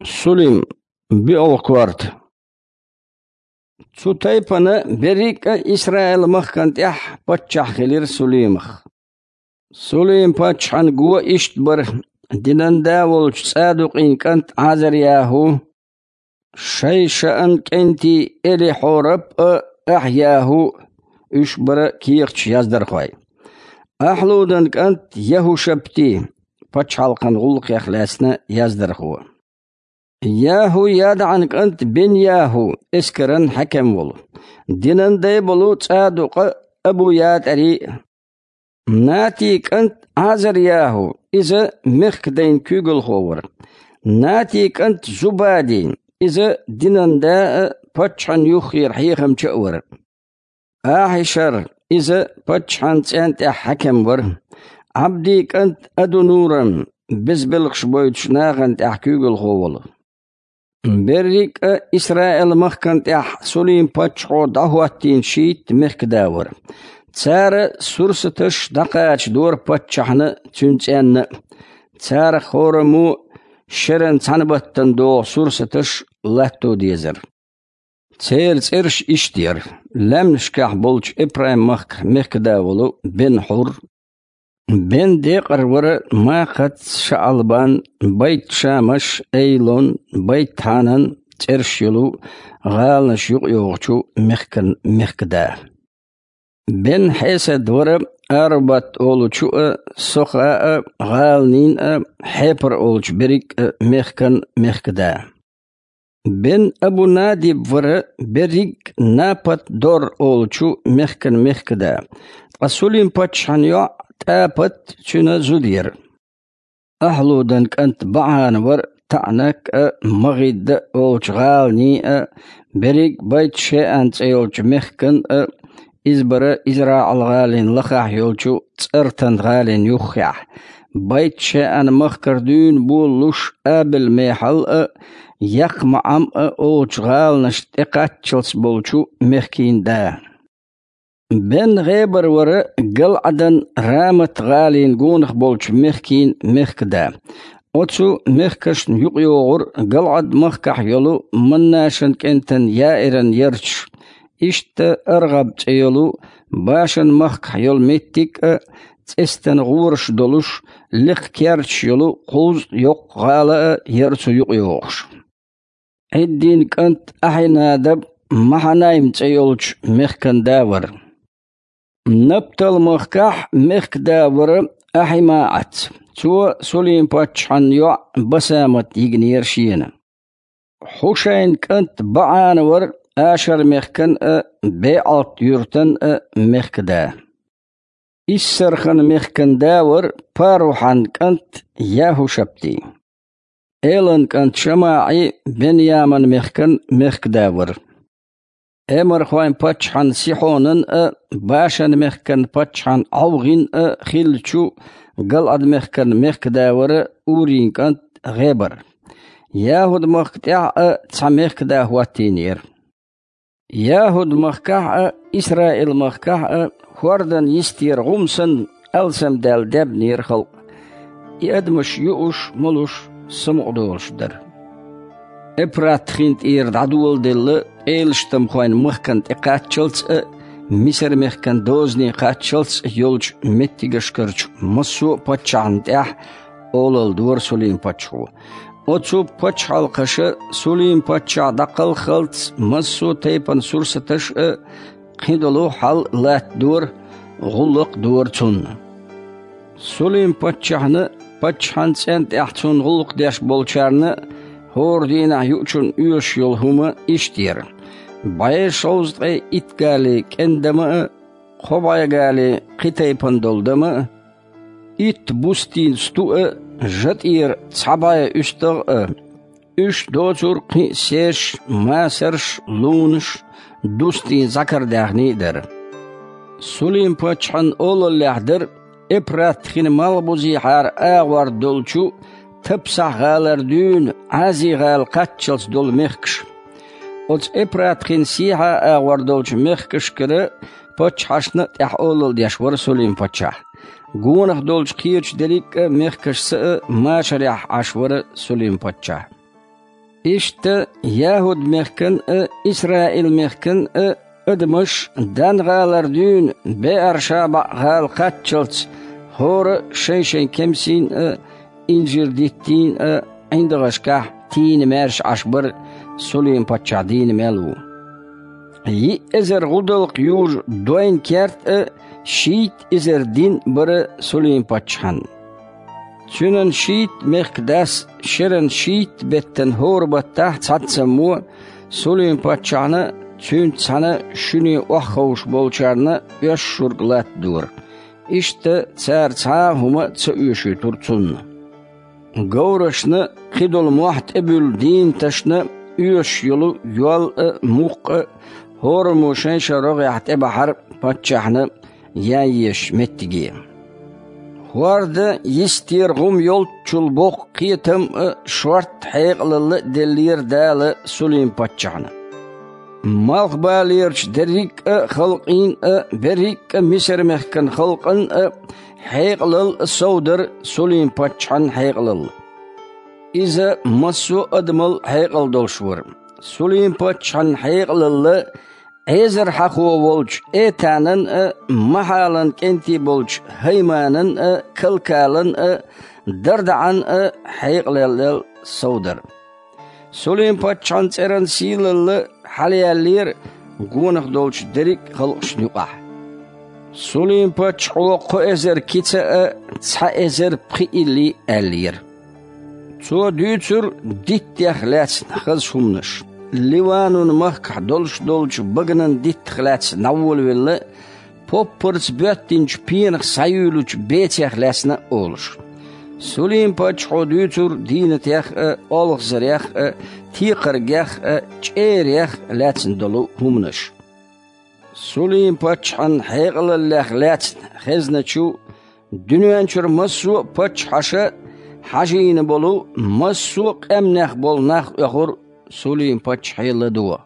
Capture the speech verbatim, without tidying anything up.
Сулим, биъолгӀа корта. Цу тайпана берриг а Исраил-махкана тӀехь паччахь хилира Сулимах. Сулим-паччахьан го иштта бара: динан да волчу ЦӀадукъин кӀант Ӏазар-ЯхӀу, Шайшаан кӀентий Элихьорап а Ахь-ЯхӀу, уьш бара кехаташ яздархой. Ахьлудан кӀант ЯхӀушаптий, пачхьалкхан гӀуллакхех лаьцна яздархо. ЯхӀу-ЯдаӀан кӀант Бен-ЯхӀу, эскаран хьаькам волу, динан дай болу ЦӀадукъа а, Абу-ЯтӀарий а. Натий кӀант Ӏазар-ЯхӀу, иза мехкан дайн куьйгалхо вара. Натий кӀант Зубадий, иза динан да а, паччахьан юххера хьехамча а вара. Ахьишар, иза паччахьан цӀен тӀехь хьаькам вара. Ӏабдий кӀант Адунурам, безбелхаш бойтуш нахана тӀехь куьйгалхо волу. Берриг а Исраил-махкана тӀехь Сулим-паччахьо дӀахӀоттийна шийтта мехкан да вара. Цара сурсаташ дӀакхачадора паччахьна а, цуьнан цӀенна а. Царах хӀораммо шеран цхьана баттана догӀу сурсаташ латто дезара. Церан цӀераш иштта яра: лаьмнашкахь болчу Эпрайм-махкара мехкан да волу Бен-Хьур, Бен-Декъар вара Макхац, ШаӀалбан, Байт-Шамаш, Эйлон, Байт-Хьанан цӀераш йолу гӀаланаш юкъайогӀучу мехкан мехкан да. Бен-Хьесад вара Арубат олучу а, Соха а, гӀаланийн а, Хьепар олучу берриг а мехкан мехкан да. Бен-Абу-Надиб вара берриг а Напат-Дор олучу мехкан мехкан да, ткъа Сулим-паччахьан йоӀ ТӀапат цуьнан зуда яра. Ахьлудан кӀант БаӀана вара ТаӀнак а, МагӀидда а олучу гӀаланийн а, берриг а Байт-ШеӀан цӀе йолчу мехкан а, иза бара ИзраӀал-гӀалин лахахь йолчу ЦӀартан-гӀалин юххехь, Байт-ШеӀан-махкара дуьйна болалуш Абел-Мехьал а, ЯкхмаӀам а олучу гӀаланашна тӀекхаччалц болчу мехкийн да. Бен-ГӀебар вара ГалӀадан Рамат-гӀалин гонах болчу мехкийн мехкан да. Оцу мехкашна юкъайогӀура ГалӀад-махкахь йолу Маннашан кӀентан Яиран ярташ. Иштта АргӀаб цӀе йолу Башан-махкахь йолу меттиг а, цӀестан гӀораш долуш, лекха керташ йолу кхузткъа йоккха гӀала а яра цу юкъайогӀуш. Ӏиддин кӀант Ахьинадаб Махьанайм цӀе йолчу мехкан да вара. Наптал-махкахь мехкан да вара АхьимаӀац. Цо Сулим-паччахьан йоӀ Басамат йигнера шена. Хьушайн кӀант БаӀана вара Ашар-мехкан а, БеӀалт-юьртан а мехкан да. Иссархан мехкан да вара Парухьан кӀант ЯхӀушаптий. Элан кӀант ШамаӀий Бен-Яман-мехкан мехкан да вара. Эморхойн паччахьан Сихьонан а, Башан-мехкан паччахьан ӀовгӀин а хиллачу ГалӀад-мехкан мехкан да вара Урин кӀант ГӀебар. ЯхӀуд-махка тӀехь а цхьа мехкан да хӀоттийнера. ЯхӀуд-махкахь а, Исраил-махкахь а хӀордан йистера гӀум санна, алсамдаьлла даьбнера халкъ. И адамаш юуш, молуш, самукъадолуш дара. Эпрат-хин тӀера дӀадоладелла пӀелаштамхойн махкана тӀекхаччалц а, Мисар-мехкан дозане кхаччалц а йолчу меттигашкарчу массо а паччахьна тӀехь олалла дора Сулим-паччахьо. Оцу пачхьалкхаша Сулим-паччахь дӀакхалххалц массо а тайпана сурсаташ а, кхин долу хьал латтадора, гӀуллакх а дора цунна. Сулим-паччахьна, паччахьан цӀен тӀехь цунна гӀуллакх деш болчарна а хӀора дийнахь юучунна оьшуш йолу хӀума иштта яра: бӀе шовзткъе итт гали кӀен дама а, кхо бӀе гали кхин тайпана долу дама а, итт бустийн сту а, жа тӀера цхьа бӀе уьстагӀ а, уьш доцург кхин а сеш, масарш, лунаш, дустийн зӀакардаьхний а дара. Сулим-паччахьан олаллехь дара Эпрат-хин малхбузехьара агӀор долчу Тапсахь-гӀалара дуьйна Ӏази-гӀала кхаччалц долу мехкаш. Оцу Эпрат-хин сехьа агӀор долчу мехкашкара паччахьашна а тӀехь олалла деш вара Сулим-паччахь. Гонах долчу кхечу дерриг а мехкашца а машарехь Ӏаш вара Сулим-паччахь. Иштта ЯхӀуд-мехкан а, Исраил-мехкан а адамаш Дан-гӀалара дуьйна БеӀар-ШабаӀ-гӀала кхаччалц хӀора а шайн-шайн кемсийн а, инжир-диттийн а ӀиндагӀашкахь тийна маьрша Ӏаш бара Сулим-паччахь дийна мел ву. Йиъ эзар гӀудалкх южу дойн керт а, шийтта эзар дин а бара Сулим-паччахьан. Цуьнан шийтта мехкан дас шеран шийтта беттан хӀора баттахь цхьаццаммо Сулим-паччахьна а, цуьнца цхьаьна шуьне охьаховшуш болчарна а оьшшург латтадора. Иштта цара цхьа а хӀума ца оьшуьйтура цунна. Говрашна, кхидолу мохь тӀебуьллу дийнаташна оьшуш йолу йол а, мукх а хӀораммо шайн-шайн рогӀехь тӀебахьара паччахьна ян езачу меттиге. ХӀорда йистера гӀум йолччул боккха кхетам а, шортта хьекъалалла а деллера Дала Сулим-паччахьна. Малхбалерчу дерриг а халкъийн а, берриг а Мисар-мехкан халкъан а хьекъалалла а сов дара Сулим-паччахьан хьекъалалла. Иза массо а адамал хьекъал долуш вара. Сулим-паччахьан хьекъалалла Ӏезархьахо волчу Этанан а, Махьалан кӀентий болчу ХӀайманан а, Калкалан а, ДардаӀан а хьекъалаллел сов дара. Сулим-паччахьан цӀеран сийлалла хьалаяьллера гонах долчу дерриг а халкъашна юкъахь. Сулим-паччахьо кхо эзар кица а, цхьа эзар пхиъ илли аьллера. Цо дуьйцура диттех лаьцна хаза хӀуманаш, Ливанун-махкахь долуш долчу баганан диттах лаьцна дӀаволавелла, поппарца боьттинчу пенах схьаюьйлучу бецех лаьцна а олуш. Сулим-паччахьо дуьйцура дийнатех а, олхазарех а, текхаргех а, чӀерех а лаьцна долу хӀуманаш. Сулим-паччахьан хьекъалаллех лаьцна хезначу, дуьнен чуьра массо а паччахьаша хьажийна болу, массо а къаьмнех болу нах оьхура Сулим-паччахье ладогӀа.